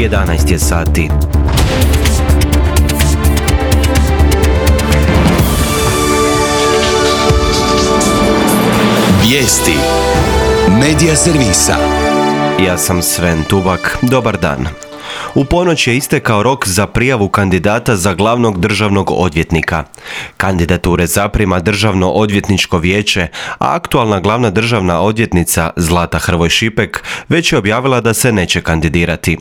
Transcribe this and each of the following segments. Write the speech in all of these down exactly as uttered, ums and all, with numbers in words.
jedanaest je sati. Vijesti Medija servisa. Ja sam Sven Tubak, dobar dan. U ponoć je istekao rok za prijavu kandidata za glavnog državnog odvjetnika. Kandidature zaprima Državno odvjetničko vijeće, a aktualna glavna državna odvjetnica Zlata Hrvoj Šipek već je objavila da se neće kandidirati.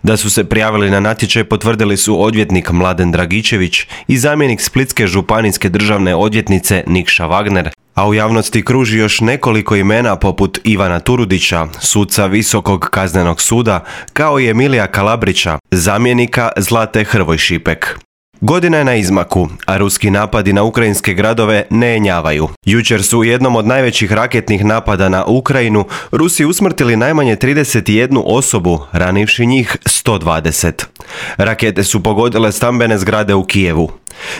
Da su se prijavili na natječaj potvrdili su odvjetnik Mladen Dragičević i zamjenik Splitske županijske državne odvjetnice Nikša Wagner, a u javnosti kruži još nekoliko imena poput Ivana Turudića, suca Visokog kaznenog suda, kao i Emilija Kalabrića, zamjenika Zlate Hrvoj Šipek. Godina je na izmaku, a ruski napadi na ukrajinske gradove ne jenjavaju. Jučer su u jednom od najvećih raketnih napada na Ukrajinu Rusi usmrtili najmanje trideset jednu osobu, ranivši njih sto dvadeset. Rakete su pogodile stambene zgrade u Kijevu.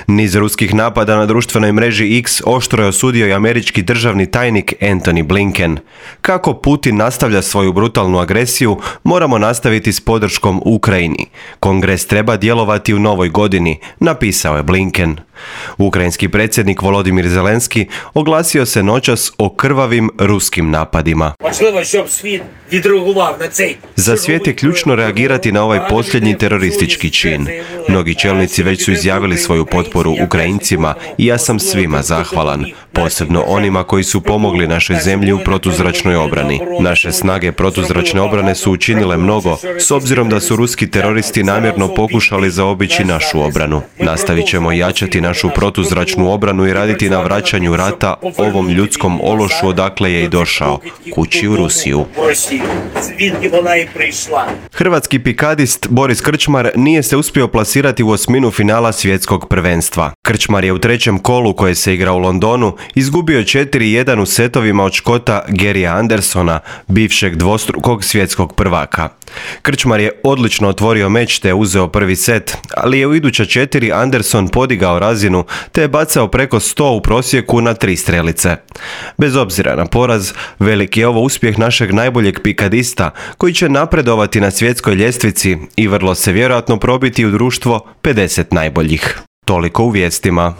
Niz ruskih napada na društvenoj mreži X oštro je osudio i američki državni tajnik Antony Blinken. Kako Putin nastavlja svoju brutalnu agresiju, moramo nastaviti s podrškom Ukrajini. Kongres treba djelovati u novoj godini, napisao je Blinken. Ukrajinski predsjednik Volodimir Zelenski oglasio se noćas o krvavim ruskim napadima. Za svijet je ključno reagirati na ovaj posljednji teroristički čin. Mnogi čelnici već su izjavili svoju potporu Ukrajincima i ja sam svima zahvalan, posebno onima koji su pomogli našoj zemlji u protuzračnoj obrani. Naše snage protuzračne obrane su učinile mnogo, s obzirom da su ruski teroristi namjerno pokušali zaobići našu obranu. Nastavit ćemo jačati našu protuzračnu obranu i raditi na vraćanju rata ovom ljudskom ološu odakle je i došao, kući u Rusiju. Hrvatski pikadist Boris Krčmar nije se uspio plasirati u osminu finala svjetskog prvenstva. Krčmar je u trećem kolu koje se igra u Londonu izgubio četiri jedan u setovima od Škota Garyja Andersona, bivšeg dvostrukog svjetskog prvaka. Krčmar je odlično otvorio meč te uzeo prvi set, ali je u iduća četiri Anderson podigao razinu te je bacao preko sto u prosjeku na tri strelice. Bez obzira na poraz, veliki je ovo uspjeh našeg najboljeg pikadista koji će napredovati na svjetskoj ljestvici i vrlo se vjerojatno probiti u društvo pedeset najboljih. Toliko u vijestima.